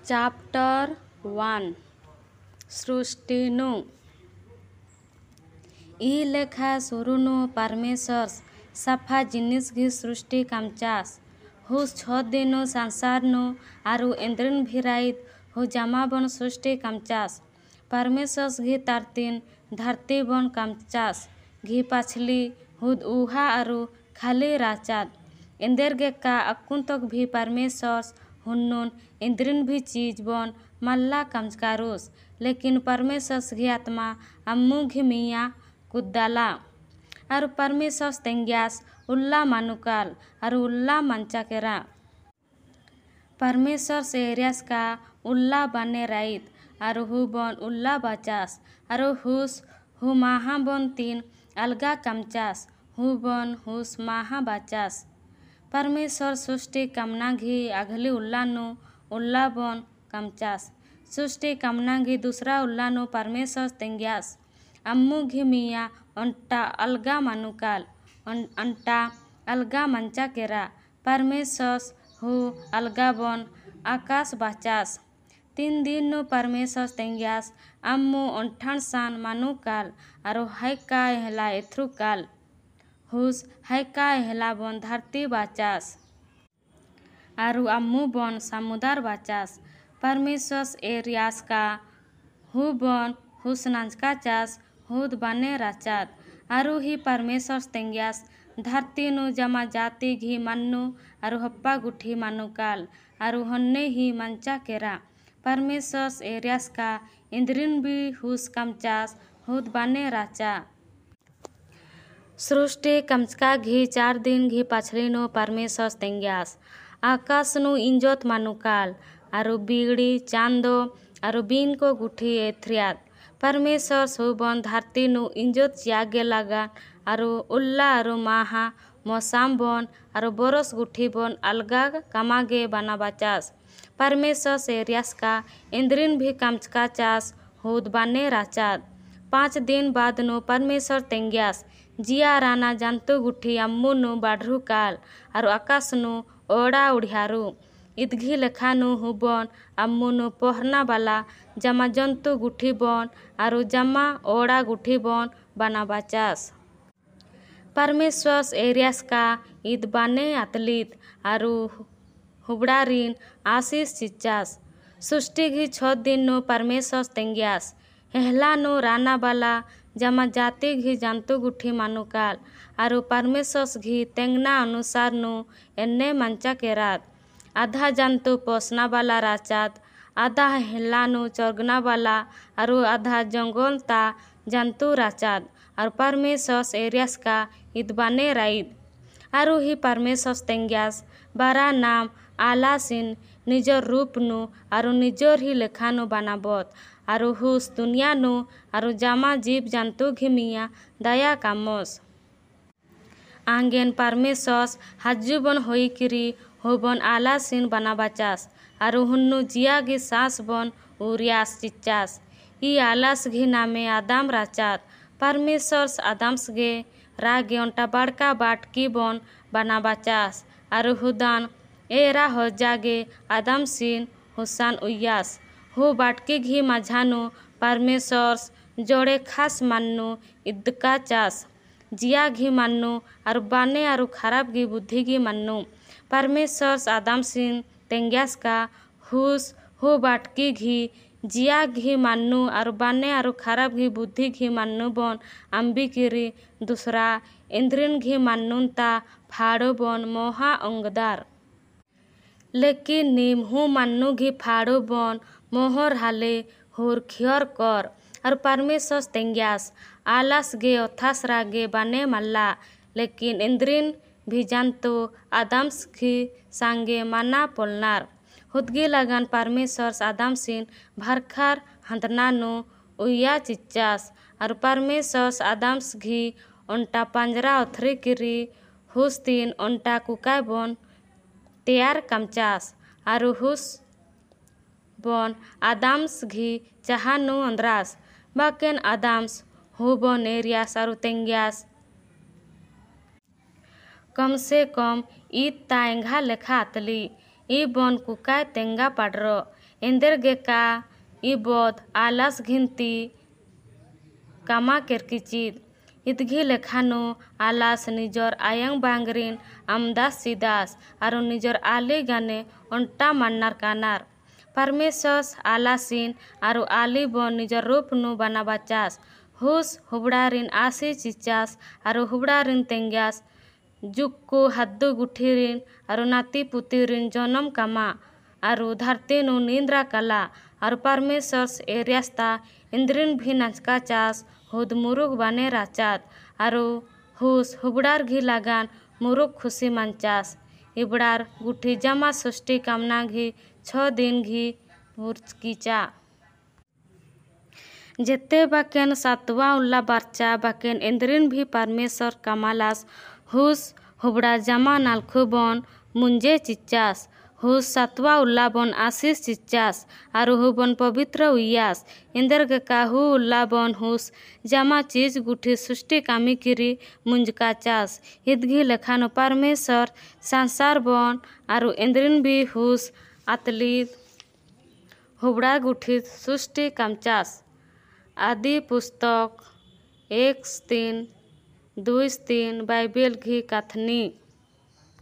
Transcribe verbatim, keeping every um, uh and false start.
Chapter one ସୃଷ୍ଟିନୁ ଇ ଲେଖା ସୁରୁନୁ ପାରମେଶ୍ୱର ସାଫା ଜିନିଷ ଘି ସୃଷ୍ଟି କାମଚାସ୍। ହୁସ୍ ଛଅ ଦିନୁ ସଂସାରନୁ ଆରୁ ଏନ୍ଦ୍ରିନ୍ ଭିରାଇତ୍ ହୁ ଜାମାବନ୍ ସୃଷ୍ଟି କାମଚାସ୍। ପାରମେଶ୍ୱର ଘି ତାରତିନ୍ ଧାରତିବନ୍ କାମଚାସ୍ ଘି ପାଛଲି ହୁଦ୍ ଉହା ଆରୁ ଖାଲି ରାଚାଦ୍। ଏନ୍ଦେରଗେକା ଅକ୍କୁନ୍ତକ ଭି ପାରମେଶ୍ୱର ହୁନ୍ନୁନ୍ ଏନ୍ଦ୍ରିନ୍ ଭି ଚୀଜ୍ ବନ୍ ମାଲ୍ଲା କାମଚକାରୁସ୍। ଲେକିନ୍ ପାରମେଶ୍ୱର ଘି ଆତ୍ମା ଆମ୍ମୁ ଘି ମିଆଁ କୁଦ୍ଦାଲା। ଆରୁ ପାରମେଶ୍ୱର ତେଙ୍ଗିୟାସ୍ ଉଲ୍ଲା ମାନୁକାଲ ଆରୁ ଉଲ୍ଲା ମାନ୍ଚାକେରା। ପାରମେଶ୍ୱର ଏରିୟାସ୍କା ଉଲ୍ଲା ବାନେ ରାଇତ୍ ଆରୁ ହୁ ବନ୍ ଉଲ୍ଲା ବାଚାସ୍। ଆରୁ ହୁସ୍ ହୁ ମାହା ବନ୍ ତିନ୍ ଆଲଗା କାମଚାସ୍ ହୁ ବନ୍ ହୁସ୍ ମାହା ବାଚାସ୍। ପାରମେଶ୍ୱର ସୃଷ୍ଟି କାମନା ଘି ଆଘଲି ଉଲ୍ଲାନୁ ଉଲ୍ଲା ବନ୍ କାମଚାସ୍। ସୃଷ୍ଟି କାମନା ଘି ଦୁସରା ଉଲ୍ଲାନୁ ପାରମେଶ୍ୱର ତେଙ୍ଗିୟାସ୍ ଆମ୍ମୁ ଘି ମିଆଁ ଅଣ୍ଟା ଅଲଗା ମାନୁକାଲ ଅଣ୍ଟା ଅଲଗା ମାନ୍ଚାକେରା। ପାରମେଶ୍ୱର ହୁ ଅଲଗା ବନ୍ ଆକାଶ ବାଚାସ୍। ତିନ୍ ଦିନୁ ପାରମେଶ୍ୱର ତେଙ୍ଗିୟାସ୍ ଆମ୍ମୁ ଅଣ୍ଠାଣସାନ୍ ମାନୁକାଲ ଆରୁ ହାଇକା ଏହଲା ଏଥ୍ରୁକାଲ। ହୁସ୍ ହାଇକା ଏହଲା ବନ୍ ଧାରତି ବାଚାସ୍। ଆରୁ ଆମ୍ମୁ ବନ୍ ସାମୁଦାର ବାଚାସ୍। ପାରମେଶ୍ୱର ଏରିୟାସ୍କା ହୁ ବନ୍ ହୁସ୍ ନାଞ୍ଜକାଚାସ୍ ହୁଦ୍ ବାନେ ରାଚାଦ୍। ଆରୁ ହି ପାରମେଶ୍ୱର ତେଙ୍ଗିୟାସ୍ ଧାରତିନୁ ଜାମା ଜାତି ଘି ମାନ୍ନୁ ଆରୁ ହପ୍ପା ଗୁଠି ମାନୁକାଲ ଆରୁ ହନ୍ନେ ହି ମାନ୍ଚାକେରା। ପାରମେଶ୍ୱର ଏରିୟାସ୍କା ଏନ୍ଦ୍ରିନ୍ ବି ହୁସ୍ କାମଚାସ୍ ହୁଦ୍ ବାନେ ରାଚା। ସୃଷ୍ଟି କାମଚକା ଘି ଚାର୍ ଦିନ ଘି ପାଛଲିନୁ ପାରମେଶ୍ୱର ତେଙ୍ଗିୟାସ୍ ଆକାଶନୁ ଇଞ୍ଜୋତ୍ ମାନୁକାଲ ଆରୁ ବିଡ଼ି ଚାନ୍ଦୋ ଆରୁ ବିନ୍‌କୋ ଗୁଠି ଏଥ୍ରିୟାଦ୍। ପାରମେଶ୍ୱର ହୁବନ୍ ଧାରତିନୁ ଇଞ୍ଜୋତ୍ ଚିୟାଗେ ଲାଗାନ୍ ଆରୁ ଉଲ୍ଲା ଆରୁ ମାହା ମୌସାମ୍ ବନ୍ ଆରୁ ବରଷ ଗୁଠି ବନ୍ ଆଲଗା କାମାଗେ ବାନାବାଚାସ୍। ପାରମେଶ୍ୱର ଏରିୟାସ୍କା ଏନ୍ଦ୍ରିନ୍ ଭି କାମଚକାଚାସ୍ ହୁଦ୍ ବାନେ ରାଚାଦ୍। ପାଞ୍ଚ ଦିନ ବାଦନୁ ପାରମେଶ୍ୱର ତେଙ୍ଗିୟାସ୍ ଜିଆ ରାନା ଜାନ୍ତୁ ଗୁଠି ଆମ୍ମୁନୁ ବାଢ଼ୁକାଲ ଆରୁ ଆକାଶନୁ ଓଡ଼ା ଉଢ଼ିୟାରୁ। ଇଦଘି ଲେଖାନୁ ହୁବନ୍ ଆମ୍ମୁନୁ ପହଁରନାବାଲା ଜାମା ଜନ୍ତୁ ଗୁଠି ବନ୍ ଆରୁ ଜାମା ଓଡ଼ା ଗୁଠି ବନ୍ ବାନାବାଚାସ୍। ପାରମେଶ୍ୱର ଏରିୟାସ୍କା ଇଦ୍ ବାନେ ଆତଲିତ୍ ଆରୁ ହୁବଡ଼ାରିନ୍ ଆଶିଷ୍ ଚିଚାସ୍। ସୃଷ୍ଟି ଘି ଛଅ ଦିନୁ ପାରମେଶ୍ୱର ତେଙ୍ଗିୟାସ୍ ହେହଲାନୁ ରାନାବାଲା ଜାମା ଜାତି ଘି ଜାନ୍ତୁ ଗୁଠି ମାନୁକାଲ ଆରୁ ପାରମେଶ୍ୱର ଘି ତେଙ୍ଗନା ଅନୁସାରନୁ ଏନ୍ନେ ମାନ୍ଚାକେରାଦ୍। ଆଧା ଜାନ୍ତୁ ପୋସନାବାଲା ରାଚାଦ୍, ଆଧା ହେହଲାନୁ ଚରଗନାବାଲା ଆରୁ ଆଧା ଜଙ୍ଗଲତା ଜାନ୍ତୁ ରାଚାଦ୍। ଆରୁ ପାରମେଶ୍ୱର ଏରିୟାସ୍କା ଇଦ୍ ବାନେ ରାଇତ୍। ଆରୁ ହି ପାରମେଶ୍ୱର ତେଙ୍ଗିୟାସ୍ ବାରା ନାମ୍ ଆଲାସିନ୍ ନିଜର୍ ରୂପନୁ ଆରୁ ନିଜର୍ ହି ଲେଖାନୁ ବାନାବତ୍ ଆରୁ ହୁସ୍ ଦୁନିଆନୁ ଆରୁ ଜାମା ଜୀବ୍ ଜାନ୍ତୁ ଘି ମିଆଁ ଦାୟା କାମସ୍। ଆଙ୍ଗେନ୍ ପାରମେଶ୍ୱର ହାଜୁବନ୍ ହୋଇକିରି ହୁବନ୍ ଆଲାସିନ୍ ବାନାବାଚାସ୍ ଆରୁ ହୁନ୍ନୁ ଜିଆଗି ସାଁସ୍ ବନ୍ ଉରିୟାସ୍ ଚିଚାସ୍। ଇ ଆଲାସ୍ ଘି ନାମେ ଆଦାମ ରାଚାଦ୍। ପାରମେଶ୍ୱର ଆଦାମ୍‌ସଗେ ରାଗେ ଅଣ୍ଟା ବାଡ଼କା ବାଟକି ବନ୍ ବାନାବାଚାସ୍ ଆରୁ ହୁଦାନ୍ ଏରା ହଜାଗେ ଆଦାମ୍‌ସିନ୍ ହୁସାନ୍ ଉଇୟାସ୍। ହୁ ବାଟକି ଘି ମାଝାନୁ ପାରମେଶ୍ୱର ଜଡ଼େ ଖାସ୍ ମାନ୍ନୁ ଇଦ୍‌କାଚାସ୍, ଜିଆଘି ମାନ୍ନୁ ଆରୁ ବାନେ ଆରୁ ଖାରାପ୍ ଘି ବୁଦ୍ଧିଘି ମାନ୍ନୁ। ପାରମେଶ୍ୱର ଆଦାମ୍‌ସିନ୍ ତେଙ୍ଗିୟାସ୍କା ହୁସ୍ ହୁ ବାଟକି ଘି ଜିଆଘି ମାନ୍ନୁ ଆରୁ ବାନେ ଆରୁ ଖାରାପ୍ ଘି ବୁଦ୍ଧିଘି ମାନ୍ନୁ ବନ୍ ଆମ୍ବିକିରି ଦୁସରା ଏନ୍ଦ୍ରିନ୍ ଘି ମାନ୍ନୁନ୍‌ତା ଫାଡ଼ୁ ବନ୍ ମହା ଅଙ୍ଗଦାର୍। ଲେକିନ୍ ନିମ୍ ହୁ ମାନ୍ନୁ ଘି ଫାଡ଼ୁ ବନ୍ ମୋହର୍ ହାଲେ ହୁର୍ ଖିଅର୍ କର୍। ଆରୁ ପାରମେଶ୍ୱର ତେଙ୍ଗିୟାସ୍ ଆଲାସ୍‌ଗେ ଅଥାସ୍‌ରାଗେ ବାନେ ମାଲ୍ଲା, ଲେକିନ୍ ଏନ୍ଦ୍ରିନ୍ ଭି ଜାନ୍ତୁ ଆଦାମ୍‌ଘି ସାଙ୍ଗେ ମାନା ପଲନାର୍। ହୁଦଗି ଲାଗାନ୍ ପାରମେଶ୍ୱର ଆଦାମ୍‌ସିନ୍ ଭାର୍‌ଖାର୍ ହାଁଦ୍‌ନାନୁ ଉଇୟା ଚିଚାସ୍। ଆରୁ ପାରମେଶ୍ୱର ଆଦାମ୍‌ଘି ଅଣ୍ଟା ପାଞ୍ଜରା ଅଥରିକିରି ହୁସ୍‌ତିନ୍ ଅଣ୍ଟା କୁକାଏ ବନ୍ ତେୟାର୍ କାମଚାସ୍। ଆରୁ ହୁସ୍ ବନ୍ ଆଦାମ୍‌ଘି ଚାହାନୁ ଅନ୍ଦ୍ରାସ୍। ବାକେନ୍ ଆଦାମ୍‌ସ୍ ହୁବନ୍ ଏରିୟାସ୍ ଆରୁ ତେଙ୍ଗିୟାସ୍, କମ୍ ସେ କମ୍ ଇଦ୍ ତା ଏଙ୍ଘା ଲେଖା ଆତଲି। इबन कुकाय तेंगा पाडरो एंदेर गेका इबद आलास घिनती कामा केरकिचिद इदघी लेखानु आलास निजर आयंग बांगरिन आमदास सिदास आरो निजर आली गाने ओंटा मान्नार कानार। परमेश्वर आलासिन आरो आली बन निजर रूप नु बनाबाचास हुस हुबड़ारिन आसी चिचास आरो हुबड़ारिन तेंग्यास जुक्कु हाद्दु गुठीरिन आरो नाती पुतीरिन जन्म कामा आरो धरती नु निंद्रा कला आरो परमेश्वर एरियास्ता इंद्रिन भी नाचका चास हुद मुरुग बाने राचात आरो हुस हुबड़ार घी लागान मुरुग खुशी मानचास। इबड़ार गुठी जमा सृष्टि कामना घी छ दिन घी पुरकीचा। जेते बाकेन सातवा उल्ला बारचा बाकेन इंद्रिन भी परमेश्वर कमालास हुस हुबड़ा जमा नालखुबन मुंजे चिच्चास हुस सातवा उल्ला बन आशीष चिच्चास आरु हुबन पवित्र उयास। इंदर गका who उल्ला बन हुस जमा चीज गुठी सृष्टि कामी किरी मुंजका चास। इदघी लेखानो परमेश्वर संसार बन आरु इंद्रिन भी हुस आतली हुबड़ा गुठी सृष्टि कामचास। आदि पुस्तक एक तीन दुई तीन बाइबेल घी कथनी।